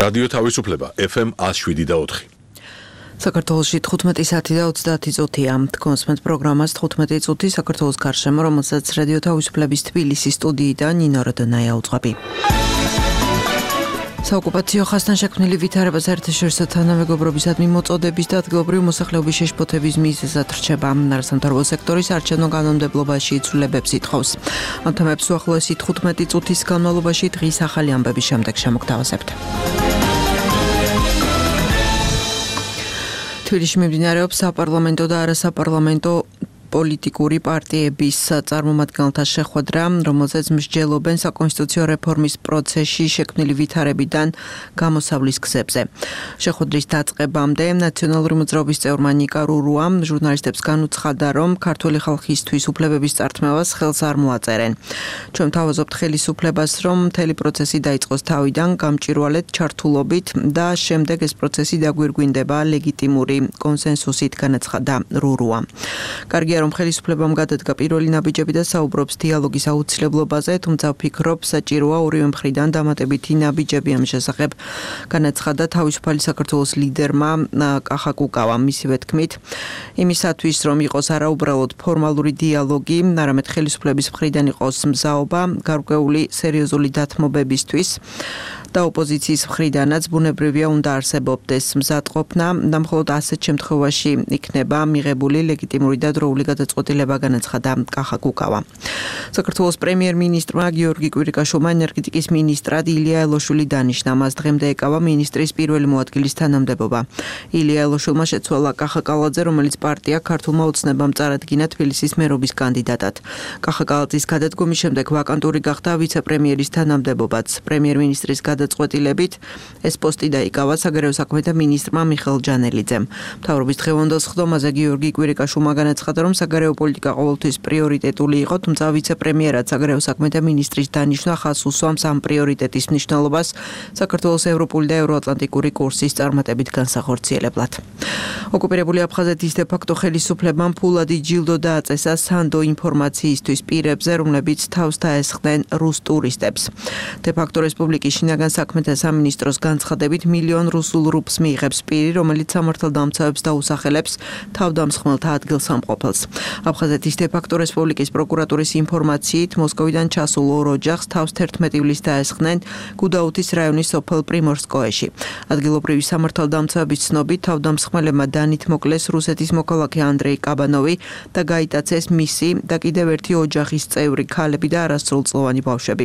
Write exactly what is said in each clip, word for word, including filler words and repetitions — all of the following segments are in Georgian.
რადიო თავისუფლება ეფ ემ one oh seven და four. საქართველოში თხუთმეტი საათი და ოცდაათი წუთია. კონსმენტ პროგრამას თხუთმეტი წუთი საქართველოს გარშემო, რომელსაც რადიო თავისუფლების თბილისის სტუდიიდან ნინო როდონაია უძღვები. საოკუპაციო ხაზთან შექმნილი ვითარება საერთაშორისო თანამეგობრობისადმი მოწოდების და ადგილობრივი მოსახლეობის შეშფოთების მიზეზად რჩება. არასამთავრობო სექტორის არჩევნო კანონმდებლობაში იცვლებებს ითხოვს. ამ თემებს უახლოესი თხუთმეტი წუთის განმავლობაში დღის ახალი ამბების შემდეგ შემოგთავაზებთ. თბილისში მიმდინარეობს საპარლამენტო და არასაპარლამენტო პოლიტიკური პარტიების წარმომადგენელთა შეხვედრა, რომელზეც მსჯელობენ საკონსტიტუციო რეფორმის პროცესში შექმნილი ვითარებიდან გამოსავლის გზებზე. შეხვედრის დაწყებამდე ნაციონალური მოძრაობის წევრმა ნიკა რურუამ ჟურნალისტებს განუცხადა, რომ ქართული ხალხისთვის უფლებების წართმევას ხელს არ მოაწერენ. ჩვენ თავაზობთ ხელისუფლებას, რომ მთელი პროცესი დაიწყოს თავიდან გამჭვირვალედ ჩართულობით და შემდეგ ეს პროცესი დაგვირგვინდება ლეგიტიმური კონსენსუსით, განაცხადა რურუა. კარგია, რომ ხელისუფლებამ გადადგა პირველი ნაბიჯები და საუბრობს დიალოგის აუცილებლობაზე, თუმცა ვფიქრობ, საჭიროა ორივე მხრიდან დამატებითი ნაბიჯები ამ შესახებ, განაცხადა თავისუფალი საქართველოს ლიდერმა კახა კუკავამ. მისივე თქმით, იმისათვის, რომ იყოს არაუბრალოდ ფორმალური დიალოგი, არამედ ხელისუფლების მხრიდან იყოს მზაობა გარკვეული სერიოზული დათმობებისთვის და ოპოზიციის მხრიდანაც ბუნებრივია უნდა არსებობდეს მზადყოფნა და მხოლოდ ასეთ შემთხვევაში იქნება მიღებული ლეგიტიმური და დროული გადაწყვეტილება, განაცხადა კახა კუკავა. საქართველოს პრემიერ-მინისტრმა გიორგი კვირიკაშვილმა ენერგეტიკის მინისტრად ილია ელოშვილი დანიშნა. მას დღემდე ეკავა მინისტრის პირველი მოადგილის თანამდებობა. ილია ელოშვილმა შეცვალა კახა კალაძე, რომელიც პარტია ქართულმა ოცნებამ წარადგინა თბილისის მერობის კანდიდატად. კახა კალაძის გადადგომის შემდეგ ვაკანტური გახდა ვიცე-პრემიერის თანამდებობაც. პრემიერ-მინისტრის გადაწყვეტილებით ეს პოსტი დაიკავა საგარეო საქმეთა მინისტრმა მიხეილ ჯანელიძემ. მთავრობის დღევანდელ სხდომაზე გიორგი კვირიკაშვილმა განაცხადა, რომ საგარეო პოლიტიკა ყოველთვის პრიორიტეტული იყო, თუმცა ვიცე-პრემიერად საგარეო საქმეთა მინისტრის დანიშვნა ხაზს უსვამს ამ პრიორიტეტის მნიშვნელობას საქართველოს ევროპული და ევროატლანტიკური კურსის წარმატებით განსახორციელებლად. ოკუპირებული აფხაზეთის დე-ფაქტო ხელისუფლებამ ფულადი ჯილდო დააწესა სანდო ინფორმაციისთვის პირებზე, რომლებიც თავს დაესხნენ რუს ტურისტებს. დე-ფაქტო რესპუბლიკის შინაგან საქმეთა სამინისტროს განცხადებით მილიონ რუსულ რუბლს მიიღებს პირი, რომელიც სამართალდამცავებს დაუსახელებს თავდამსხმელთა ადგილსამყოფელს. აფხაზეთის დე-ფაქტო რესპუბლიკის პროკურატურის ინფორმაციით, მოსკოვიდან ჩასულ ორ ოჯახს თავს თერთმეტი ივლისს დაესხნენ გუდაუთის რაიონის სოფელ პრიმორსკოეში. ადგილობრივი სამართალდამცავების ცნობით, თავდამსხმელებმა დანით მოკლეს რუსეთის მოქალაქე ანდრეი კაბანოვი და გაიტაცეს მისი და კიდევ ერთი ოჯახის წევრი ქალები და არასრულწლოვანი ბავშვები.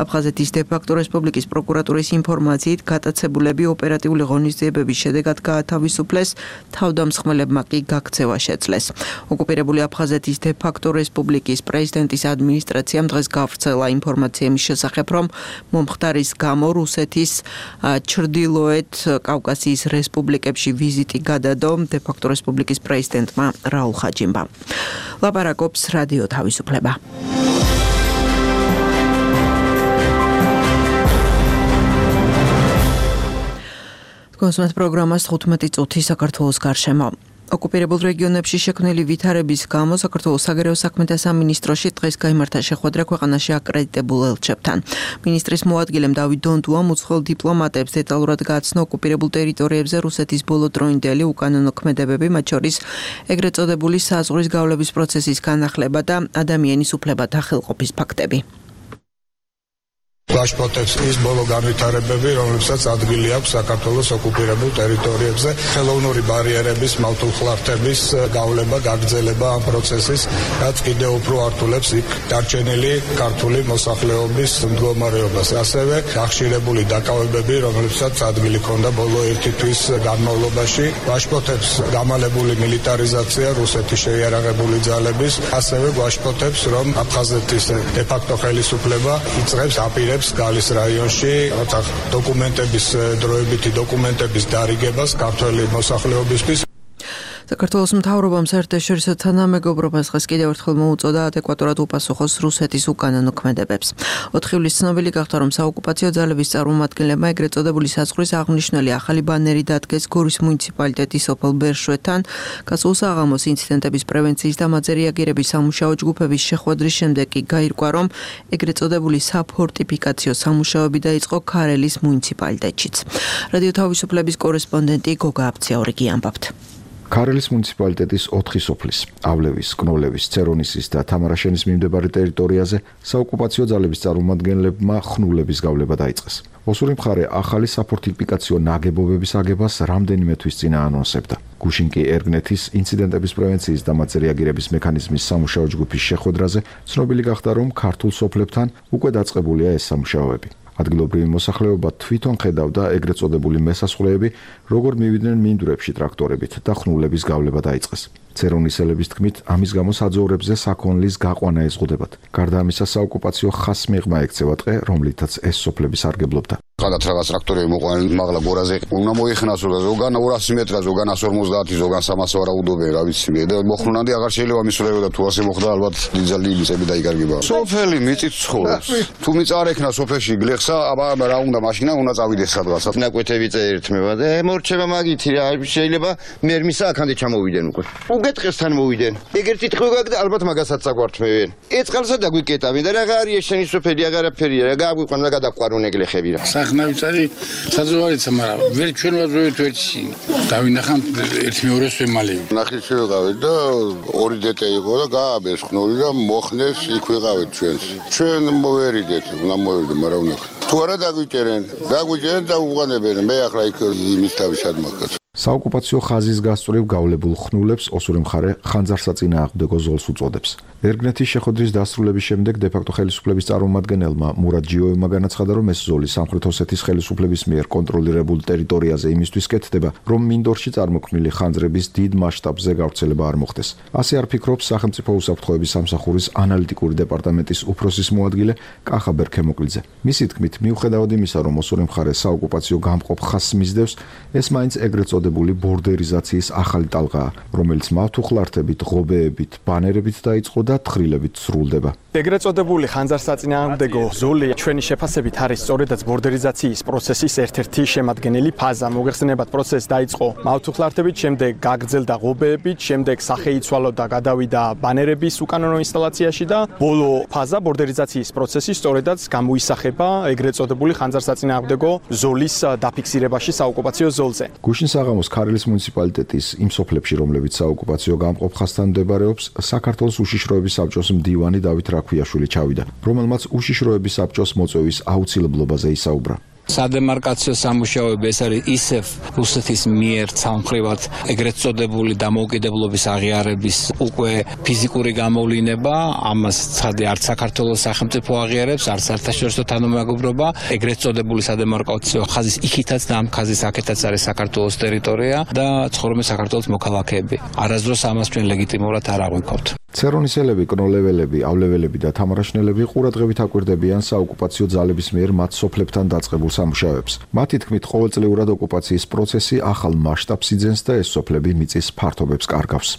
აფხაზეთის დე-ფაქტო რესპუბლიკის პროკურატურის ინფორმაციით, გატაცებულები ოპერატიული ღონისძიებების შედეგად გაათავისუფლეს, თავდამსხმელებმა კი გაქცევა შეძლეს. ოკუპირებული აფხაზეთის დე-ფაქტო რესპუბლიკის პრეზიდენტის ადმინისტრაციამ დღეს გავრცელა ინფორმაცია იმის შესახებ, რომ მომხდარის გამო რუსეთის ჩრდილოეთ კავკასიის რესპუბლიკებში ვიზიტი გადადო დე-ფაქტო რესპუბლიკის პრეზიდენტმა რაულ ხაჯიმბამ. ლაპარაკობს რადიო თავისუფლება. კონსმენტ პროგრამას თხუთმეტი წუთი საქართველოს გარშემო. ოკუპირებულ რეგიონებში შექმნილი ვითარების გამო საქართველოს საგარეო საქმეთა სამინისტროში დღეს გაიმართა შეხვედრა ქვეყანაში აკრედიტებულ ელჩებთან. მინისტრის მოადგილემ დავით დონდუამ უცხოელ დიპლომატებს დეტალურად გააცნო ოკუპირებულ ტერიტორიებზე რუსეთის ბოლოდროინდელი უკანონო ქმედებები, მათ შორის ეგრეთ წოდებული საზღვრის გავლების პროცესის განახლება და ადამიანის უფლებათა ხელყოფის ფაქტები. გაშფოთებს ის ბოლო განვითარებები, რომლებსაც ადგილი აქვს საქართველოს ოკუპირებულ ტერიტორიებზე, ხელოვნური ბარიერების, მავთულხლართების გავლება, გაგრძელება ამ პროცესის, რაც კიდევ უფრო ართულებს იქ დარჩენილი ქართული მოსახლეობის მდგომარეობას. ასევე გახშირებული დაკავებები, რომლებსაც ადგილი ჰქონდა ბოლო ერთი თვის განმავლობაში, გაშფოთებს გამალებული მილიტარიზაცია რუსეთის შეიარაღებული ძალების, ასევე გაშფოთებს, რომ აფხაზეთის დე-ფაქტო ხელისუფლება იწყებს აპირებს გალის რაიონში დოკუმენტების დროებითი დოკუმენტების დარიგებას ქართველი მოსახლეობისთვის. საქართველოს მთავრობამ საერთაშორისო თანამეგობრობას დღეს კიდევ ერთხელ მოუწოდა ადეკვატურად უპასუხოს რუსეთის უკანონო ქმედებებს. ოთხი ივლისს ცნობილი გახდა, რომ საოკუპაციო ძალების წარმომადგენლებმა ეგრეთ წოდებული საზღვრის აღნიშნული ახალი ბანერი დადგეს გორის მუნიციპალიტეტის სოფელ ბერშვეთთან. გასულ საღამოს ინციდენტების პრევენციის და მათზე რეაგირების სამუშაო ჯგუფების შეხვედრის შემდეგ კი გაირკვა, რომ ეგრეთ წოდებული საფორტიფიკაციო სამუშაოები დაიწყო ქარელის მუნიციპალიტეტშიც. რადიო თავისუფლების კორესპონდენტი გოგა აბციაურიგი ამბობთ. ქარელის მუნიციპალიტეტის ოთხი სოფლის, ავლევის, კნოლევის, ცერონისის და თამარაშენის მიმდებარე ტერიტორიაზე საოკუპაციო ძალების წარმომადგენლებმა ხნულების გავლება დაიწყეს. ოსური მხარე ახალი საფორტიფიკაციო ნაგებობების აგებას რამდენიმე თვის წინ აანონსებდა. გუშინ კი ერგნეთის ინციდენტების პრევენციის და მათზე რეაგირების მექანიზმის სამუშაო ჯგუფის შეხვედრაზე ცნობილი გახდა, რომ ქართულ სოფლებთან უკვე დაწყებულია ეს სამუშაოები. ადგილობრივი მოსახლეობა თვითონ ხედავდა ეგრეთ წოდებული მესასხვრეები, როგორ მივიდნენ მინდვრებში ტრაქტორებით და ხნულების გავლება დაიწყეს. ცერონისელების თქმით, ამის გამო საძოვრებზე საქონლის გაყვანა ეზღუდებათ. გარდა ამისა, საოკუპაციო ხას მიღმა ექცევა ტყე, რომლითაც ეს სოფლები სარგებლობდა. Cada tragas tractorului moqan magla goraze una moixnas ზოგან ორასი მეტრა ზოგან εκατს ორმოცდაათი ზოგან სამას ვარაუდობენ რა ვიცი მე და მოხრუნანდი აღარ შეიძლება მისვლებოდა თუ ასე მოხდა ალბათ დიზელი იცები დაიგარგება სოფელი მიწით ცხოვრობს თუ მიწარეკნა სოფელში გლეხსა აბა რა უნდა მაშინა უნდა წავიდეს სადღაც ნაკვეთები წერეთმება და მორჩება მაგითი რა შეიძლება მერმისა აქამდე ჩამოვიდენ უკვე უგეთყესთან მოვიდენ ეგერთი ტყვე გაგდა ალბათ მაგასაც საგვართმევენ ეწყალსა დაგვიკეტავენ და რა არის შენი სოფელი აღარაფერია რა გაგვიყვან და გადაყვარუნ ეგლეხები რა ხნავიცარი საძოვარიცა, მაგრამ ვერ ჩვენ ვაზოვეთ ვერცი. დავინახავთ ერთი მეორეს ვემალები. ნახე შევიყავით და ორი დეტე იყო და გააბეს ხნული და მოხნეს იქ ვიყავით ჩვენს. ჩვენ მოვერიდეთ, უნდა მოვერიდე, მაგრამ უნდა. თუ არა დაგვიჭერენ, დაგვიჭერენ და უყანებენ. მე ახლა იქ იმის თავი სადმოხდეთ. საოკუპაციო ხაზის გასწვრივ გავლებულ ხნულებს ოსური მხარე ხანძარსაწინააღმდეგო ზოლს უწოდებს. ერგნეთის შეხვედრის დასრულების შემდეგ დე-ფაქტო ხელისუფლების წარმომადგენელმა მურად ჯიოევმა განაცხადა, რომ ეს ზოლი სამხრეთ ოსეთის ხელისუფლების მიერ კონტროლირებულ ტერიტორიაზე იმისთვის კეთდება, რომ მინდორში წარმოქმნილი ხანძრების დიდ მასშტაბზე გავრცელება არ მოხდეს. ასე არ ფიქრობს სახელმწიფო უსაფრთხოების სამსახურის ანალიტიკური დეპარტამენტის უფროსის მოადგილე კახა ბერქემოკლიძე. მისი თქმით, მიუხედავად იმისა, რომ ოსური მხარე საოკუპაციო გამყოფ ხაზს მისდევს, ეს მაინც ეგრეთ წოდებული ბორდერიზაციის ახალი ტალღაა, რომელიც მავთუხლართებით, ღობეებით, ბანერებით დაიწყო და თხრილებით სრულდება. ეგრეთ წოდებული ხანძარსაწინააღმდეგო ზოლი ჩვენი შეფასებით არის სწორედაც ბორდერიზაციის პროცესის ერთ-ერთი შემადგენელი ფაზა. მოგეხსენებათ, პროცესი დაიწყო მავთუხლართებით, შემდეგ გაგრძელდა ღობეებით, შემდეგ სახეიცვალო და გადავიდა ბანერების უკანონო ინსტალაციაში და ბოლო ფაზა ბორდერიზაციის პროცესი სწორედაც გამოისახება ეგრეთ წოდებული ხანძარსაწინააღმდეგო ზოლის დაფიქსირებაში საოკუპაციო ზოლზე. გუშინ საღამოს ქარელის მუნიციპალიტეტის იმ სოფლებში, რომლებიც საოკუპაციო გამყოფ ხაზთან მდებარეობს, საქართველოს უშიშროების საბჭოს მდივანი დავით რაქვიაშვილი ჩავიდა, რომელმაც უშიშროების საბჭოს მოწვევის აუცილებლობაზე ისაუბრა. სადემარკაციო სამუშაოები ეს არის ისევ რუსეთის მიერ ცალმხრივად ეგრეთ წოდებული დამოუკიდებლობის აღიარების უკვე ფიზიკური გამოვლინება, ამას ცხადი არც საქართველოს სახელმწიფო აღიარებს, არც საერთაშორისო თანამეგობრობა, ეგრეთ წოდებული სადემარკაციო ხაზის იქითაც და ამ ხაზის აქეთაც არის საქართველოს ტერიტორია და ცხოვრობენ საქართველოს მოქალაქეები. არასდროს ამას ჩვენ ლეგიტიმურად არ აღვიქავთ. ცერონისელები, კნოლეველები, ავლეველები და თამარაშნელები ყურადღებით აკვირდებიან საოკუპაციო ძალების მიერ მათ სოფლებთან დაწყებულ სამუშაოებს. მათი თქმით, ყოველწლიურად ოკუპაციის პროცესი ახალ მასშტაბს იძენს და ეს სოფლები მიწის ფართობებს კარგავს.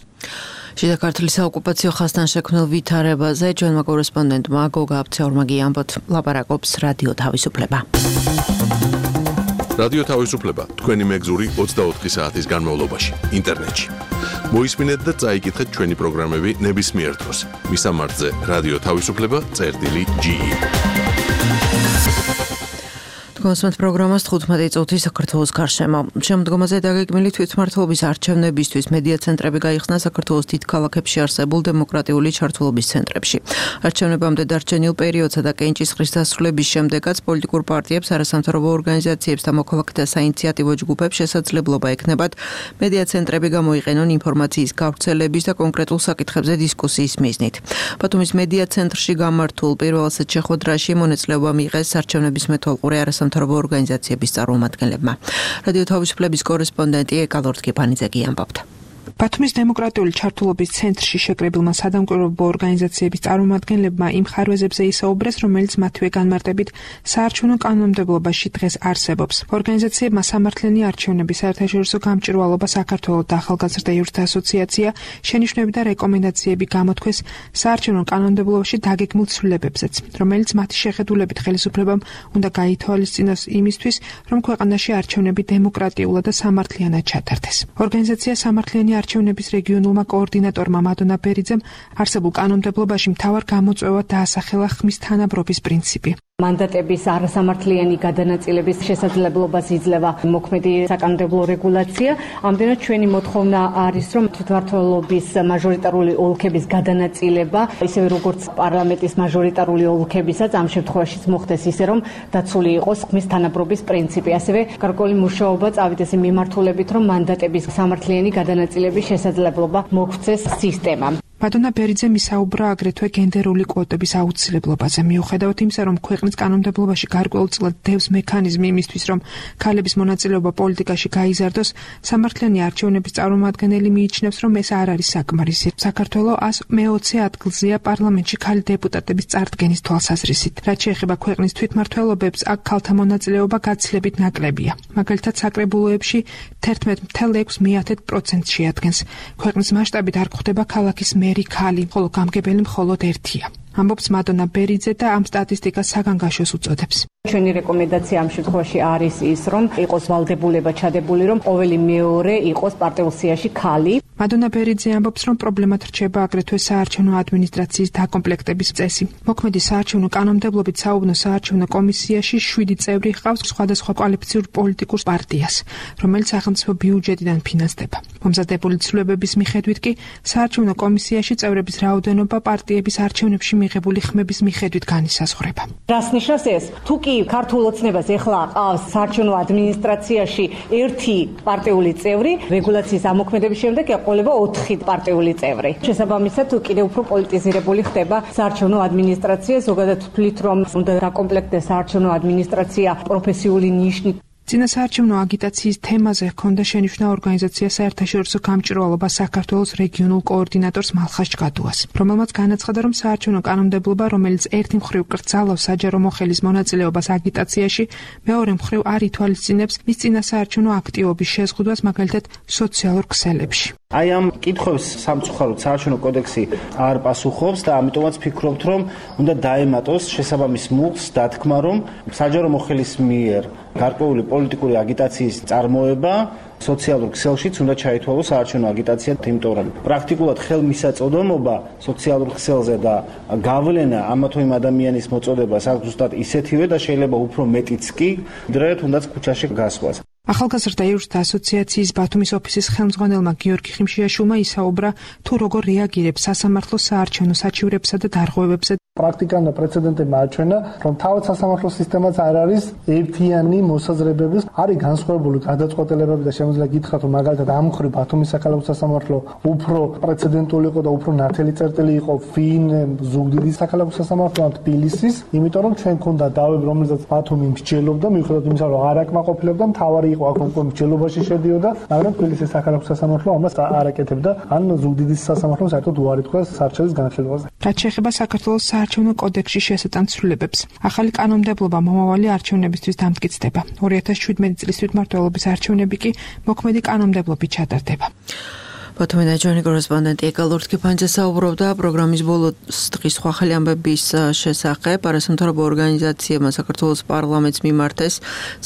შიდა ქართლის საოკუპაციო ხაზთან შექმნილ ვითარებაზე ჩვენმა კორესპონდენტმა გოგა აბციაურმა გიამბოთ, ლაპარაკობს რადიო თავისუფლება. რადიო თავისუფლება თქვენი მეგზური ოცდაოთხი საათის განმავლობაში ინტერნეტში. მოისმინეთ და წაიკითხეთ ჩვენი პროგრამები ნებისმიერ დროს. მისამართზე რადიო თავისუფლება წერტილი ჯი ი. კონსმეთ პროგრამას თხუთმეტი წუთი საქართველოს გარშემო. შემდგომაზე დაგეგმილი თვითმმართველობის არჩევნებისთვის მედია ცენტრები გაიხსნა საქართველოს დიდ ქალაქებში არსებულ დემოკრატიული ჩართულობის ცენტრებში. არჩევნებამდე დარჩენილ პერიოდსა და კენჭისყრის დასრულების შემდეგაც პოლიტიკურ პარტიებს, არასამთავრობო ორგანიზაციებს და მოქალაქეთა საინიციატივო ჯგუფებს შესაძლებლობა ექნებათ მედია ცენტრები გამოიყენონ ინფორმაციის გავრცელების და კონკრეტულ საკითხებზე დისკუსიის მიზნით. ბათუმის მედია ცენტრში გამართულ პირველ ასეთ შეხვედრაში მონაწილეობა მიიღეს არჩევნების მეთვალყური არასამთავრობო სამთავრობო ორგანიზაციების წარმომადგენლებმა. რადიო თავისუფლების კორესპონდენტი ეკალორდ კიფანიძე ამბობდა. ბათუმის დემოკრატიული ჩართულობის ცენტრში შეკრებილმა სადამკვირვებლო ორგანიზაციების წარმომადგენლებმა იმ ხარვეზებზე ისაუბრეს, რომელიც მათივე განმარტებით საარჩევნო კანონმდებლობაში დღეს არსებობს. ორგანიზაციებმა სამართლიანი არჩევნების საერთაშორისო გამჭვირვალობა საქართველოს და ახალგაზრდა იურთა ასოციაცია შენიშვნები და რეკომენდაციები გამოთქვეს საარჩევნო კანონმდებლობაში დაგეგმილ ცვლილებებზეც, რომელიც მათი შეხედულებით ხელისუფლებამ უნდა გაითვალისწინოს იმისთვის, რომ ქვეყანაში არჩევნები დემოკრატიულად და სამართლიანად ჩატარდეს. ორგანიზაცია სამართლიანი არჩევნების რეგიონულმა კოორდინატორმა მადონა ბერიძემ არსებულ კანონმდებლობაში მთავარ გამოწვევად დაასახელა ხმის თანაბრობის პრინციპი. მანდატების არასამართლიანი გადანაწილების შესაძლებლობას იძლევა მოქმედი საკანონმდებლო რეგულაცია. ამდენად ჩვენი მოთხოვნა არის, რომ თვითმმართველობის მაჟორიტარული ოლქების გადანაწილება, ისევე როგორც პარლამენტის მაჟორიტარული ოლქებისაც ამ შემთხვევაშიც მოხდეს ისე, რომ დაცული იყოს ხმის თანაბრობის პრინციპი. ასევე გარკვეული მუშაობა წავიდეს იმ მიმართულებით, რომ მანდატების სამართლიანი გადანაწილების შესაძლებლობა მოგვცეს სისტემამ. მადონა ბერიძემ ისაუბრა აგრეთვე გენდერული კვოტების აუცილებლობაზე, მიუხედავად იმისა, რომ ქვეყნის კანონმდებლობაში გარკვეულწილად დევს მექანიზმი იმისთვის, რომ ქალების მონაწილეობა პოლიტიკაში გაიზარდოს, სამართლიანი არჩევნების წარმომადგენელი მიიჩნევს, რომ ეს არ არის საკმარისი. საქართველოს ას მეოცე ადგილზეა პარლამენტში ქალი დეპუტატების წარდგენის თვალსაზრისით. რაც შეეხება ქვეყნის თვითმმართველობებს, აქ ქალთა მონაწილეობა გაცილებით ნაკლებია. მაგალითად, საკრებულოებში თერთმეტ ფاصლე ექვს პროცენტს შეადგენს. ქვეყნის მასშტაბით არ გვხვდება ქალაქის მერი ქალი, ხოლო გამგებელი მხოლოდ ერთია. ამბობს მადონა ბერიძე და ამ სტატისტიკას საგანგაშოს უწოდებს. ჩვენი რეკომენდაცია ამ შემთხვევაში არის ის, რომ იყოს ვალდებულება ჩადებული, რომ ყოველი მეორე იყოს პარტიულ სიაში ქალი. მადონა ბერიძე ამბობს, რომ პრობლემად რჩება აგრეთვე საარჩევნო ადმინისტრაციის დაკომპლექტების წესი. მოქმედი საარჩევნო კანონმდებლობით საუბნო საარჩევნო კომისიაში შვიდი წევრი ჰყავს სხვადასხვა კვალიფიციურ პოლიტიკურ პარტიას, რომელიც სახელმწიფო ბიუჯეტიდან ფინანსდება. მომზადებული ცვლილებების მიხედვით კი საარჩევნო კომისიაში წევრების რაოდენობა პარტიების არჩევნებში მიღებული ხმების მიხედვით განისაზღვრება. რას ნიშნავს ეს? თუ კი ქართულ ოცნებას ეხლა ყავს საარჩევნო ადმინისტრაციაში ერთი პარტიული წევრი, რეგულაციის ამოქმედების შემდეგ ეყოლება ოთხი პარტიული წევრი. შესაბამისად, კიდევ უფრო პოლიტიზირებული ხდება საარჩევნო ადმინისტრაცია, ზოგადად ვთვლით, რომ უნდა დაკომპლექტდეს საარჩევნო ადმინისტრაცია პროფესიული ნიშნით. წინა საარჩევნო აგიტაციის თემაზე ჰქონდა შენიშვნა ორგანიზაცია საერთაშორისო გამჭვირვალობა საქართველოს რეგიონულ კოორდინატორს მალხას ჯგადუას, რომელმაც განაცხადა, რომ საარჩევნო კანონმდებლობა, რომელიც ერთი მხრივ კრძალავს საჯარო მოხელის მონაწილეობას აგიტაციაში, მეორე მხრივ არ ითვალისწინებს მის წინა საარჩევნო აქტივობის შეზღუდვას, მაგალითად სოციალურ ქსელებში. აი ამ კითხვებს სამწუხაროდ საარჩევნო კოდექსი არ პასუხობს და ამიტომაც ფიქრობთ, რომ უნდა დაემატოს შესაბამის მუხლს დათქმა, რომ საჯარო მოხელის მიერ გარკვეული პოლიტიკური აგიტაციის წარმოება სოციალურ ქსელშიც უნდა ჩაითვალოს საარჩევნო აგიტაცია, იმიტომ რომ პრაქტიკულად ხელმისაწვდომობა სოციალურ ქსელზე და გავლენა ამა თუ იმ ადამიანის მოწოდებას აქვს ზუსტად ისეთივე და შეიძლება უფრო მეტიც კი, ვიდრე თუნდაც ქუჩაში გასვლას. ახალგაზრდა იურთა ასოციაციის ბათუმის ოფისის ხელმძღვანელმა გიორგი ხიმშიაშვილმა ისაუბრა, თუ როგორ რეაგირებს სასამართლო საარჩევნო საჩივრებსა და დარღვევებზე. პრაქტიკამ და პრეცედენტებმა აჩვენა, რომ თავად სასამართლო სისტემაც არ არის ერთიანი მოსაზრებების, არის განსხვავებული გადაწყვეტილებები და შემიძლია გითხრათ, რომ მაგალითად ამ მხრივ ბათუმის საქალაქო სასამართლო უფრო პრეცედენტული იყო და უფრო ნათელი წერტილი იყო ვინ ზუგდიდის საქალაქო სასამართლო ან თბილისის, იმიტომ რომ ჩვენ ქონდა დავები, რომელსაც ბათუმი მსჯელობდა, მიუხედავად იმისა, რომ არ აკმაყოფილებდა, მთავარი იყო აქ უკვე მსჯელობაში შედიოდა, მაგრამ თბილისის საქალაქო სასამართლო ამას არ აკეთებდა, ან ზუგდიდის სასამართლომ საერთოდ უარი თქვა სარჩელის განხილვაზე. რაც შეეხება საქართველოს საარჩევნო კოდექსში შესატან ცვლილებებს, ახალი კანონმდებლობა მომავალი არჩევნებისთვის დამტკიცდება. ორი ათას შვიდმეტი წლის თვითმმართველობის არჩევნები კი მოქმედი კანონმდებლობით ჩატარდება. ბათუმი ნაჯვანი კორესპონდენტი ეკალ ორთქიფანიძე საუბრობდა პროგრამის ბოლოს დღის სხვა ხელი ამბების შესახებ. არასამთავრობო ორგანიზაციებმა საქართველოს პარლამენტს მიმართეს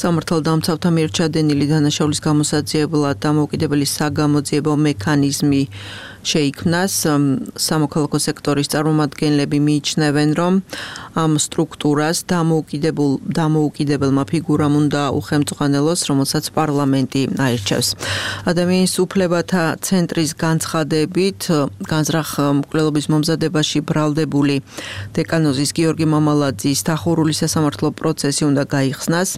სამართალდამცავთა მიერ ჩადენილი დანაშაულის გამოსაძიებლად დამოუკიდებელი საგამოძიებო მექანიზმი შეიქმნას. სამოქალაქო სექტორის წარმომადგენლები მიიჩნევენ, რომ ამ სტრუქტურას დამოუკიდებელ დამოუკიდებელმა ფიგურამ უნდა უხელმძღვანელოს, რომელსაც პარლამენტი აირჩევს. ადამიანის უფლებათა ცენტრის განცხადებით, განზრახ მკვლელობის მომზადებაში ბრალდებული დეკანოზის გიორგი მამალაძის დახურული სასამართლო პროცესი უნდა გაიხსნას.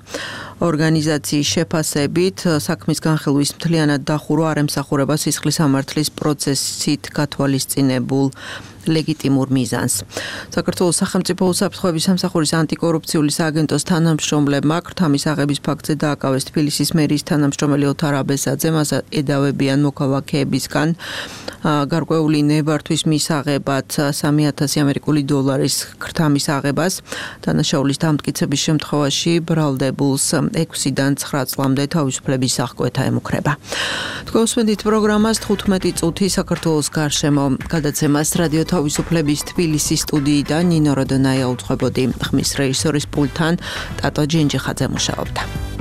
ორგანიზაციის შეფასებით, საქმის განხილვის მთლიანად დახურვა არ ემსახურება სისხლის სამართლის პროცესით გათვალისწინებულ ლეგიტიმურ მიზანს. საქართველოს სახელმწიფო უსაფრთხოების სამსახურის ანტიკორუფციული სააგენტოს თანამშრომლებმა ქრთამის აღების ფაქტზე დააკავეს თბილისის მერის თანამშრომელი ოთარ აბესაძე, მას ედავებიან მოქალაქეებისგან გარკვეული ნებართვის მისაღებად სამი ათასი ამერიკული დოლარის ქრთამის აღებას. დანაშაულის დამტკიცების შემთხვევაში ბრალდებულს ექვსიდან ცხრა წლამდე თავისუფლების აღკვეთა ემუქრება. თქვენ უსმენთ პროგრამას თხუთმეტი წუთი საქართველოს გარშემო გადაცემას რადიო თავისუფლების თბილისის სტუდიიდან ნინო როდონაია უძღვებოდი. ხმის რეჟისორის პულტთან ტატო ჯინჯიხაძე მუშაობდა.